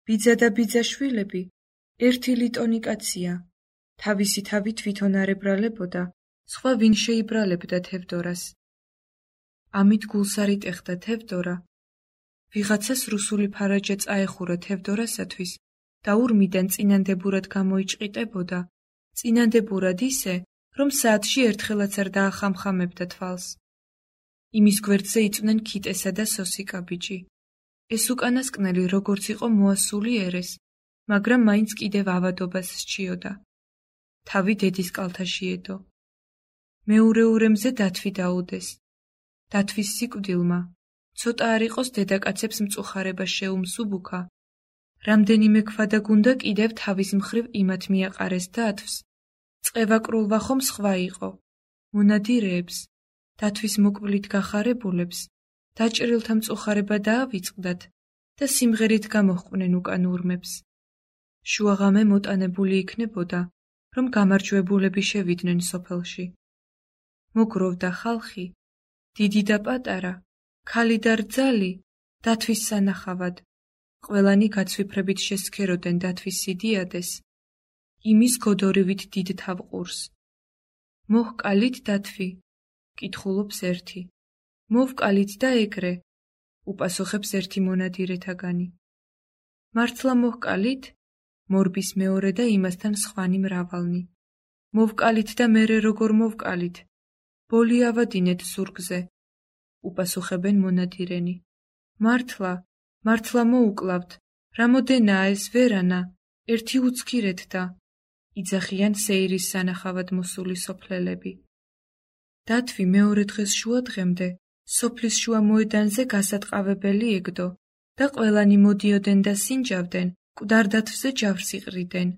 ბიძა და ბიძაშვილები, ერთი ლიტონი კაცია. თავისი თავი თვითონ არ ებრალებოდა, სხვა ვინ შეიბრალებდა თევდორას. ამით გულს არ იტეხდა თევდორა. ვიღაცას რუსული ფარაჯა წაეხურა თევდორასათვის და ურმიდან წინანდებურად გამოიჭყიტებოდა, წინანდებურად ისე, რომ საათში ერთხელაც არ დაახამხამებდა თვალს. იმის გვერდზე იწვნენ ქიტესა და სოსიკა ბიჭი. ეს უკანასკნელი როგორც იყო მოასული ერეს, მაგრამ მაინც კიდევ ავადობას სჩიოდა. თავი დედის კალთაში ედო. მეორე ურემზე დათვი დაუდეს. დათვის სიკვდილმა, ცოტა არ იყოს დედაკაცებს მწუხარება შეუმსუბუქა. რამდენიმე ქვადა გუნდა კიდევ თავის მხრივ იმათ მიაყარეს დათვს. წყევაკრულვა ხომ სხვა იყო. მონადირეებს, დათვის მოკვლით გახარებულებს, დაჭრილთა მწუხარება დაავიწყდათ და სიმღერით გამოჰყვნენ უკან ურმებს. შუაღამე მოტანებული იქნებოდა, რომ გამარჯვებულები შევიდნენ სოფელში. მოგროვდა ხალხი, დიდი და პატარა, ქალი და რძალი, დათვის სანახავად. ყველანი გაცვიფრებით შესქეროდნენ დათვის სიდიადეს, იმის გოდორივით დიდ თავყურს. მოჰკალით დათვი, კითხულობს ერთი. მოვკალით და ეგრე, უპასუხებს ერთი მონადირეთაგანი. მართლა მოჰკალით? მორბის მეორე და იმასთან სხვანი მრავალნი. მოვკალით და მერე როგორ მოვკალით? ბოლი ავადინეთ ზურგზე. უპასუხებენ მონადირენი. მართლა, მართლა მოუკლავთ, რამოდენაა ეს ვერანა, ერთი უცქირეთ და იძახიან სეირის სანახავად მოსული სოფლელები. დათვი მეორე დღეს შუადღემდე სოფლის შუა მოედანზე გასატყავებელი ეგდო და ყველანი მოდიოდნენ და სინჯავდნენ, მკვდარ-დათვზე ჯავს იყრიდნენ.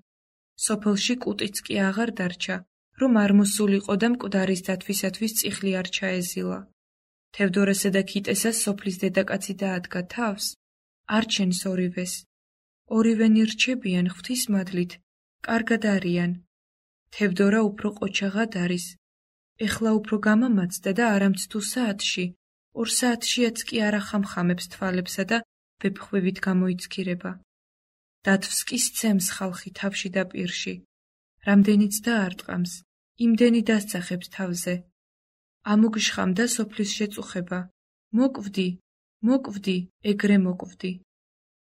სოფელში კუტიც კი აღარ დარჩა, რომ არ მოსულიყო და მკვდარის დათვისათვის წიხლი არ ჩაეზილა. თევდორესა და ქიტესას სოფლის დედაკაცი დაადგა თავს, არჩენს ორივეს. ორივენი რჩებიან ღვთისმადლით, კარგად არიან. თევდორა უფრო ყოჩაღად არის. ეხლა უფრო გამამაცდა და არამც თუ საათში, 2 საათშიაც კი არ ახამხამებს თვალებსა და ვეფხვევით გამოიცქირება. დათვს კი სცემს ხალხი თავში და პირში. რამდენიც დაარტყამს, იმდენი დასძახებს თავზე. ამოგშხამდა სოფლის შეწუხება. მოკვდი, მოკვდი, ეგრე მოკვდი.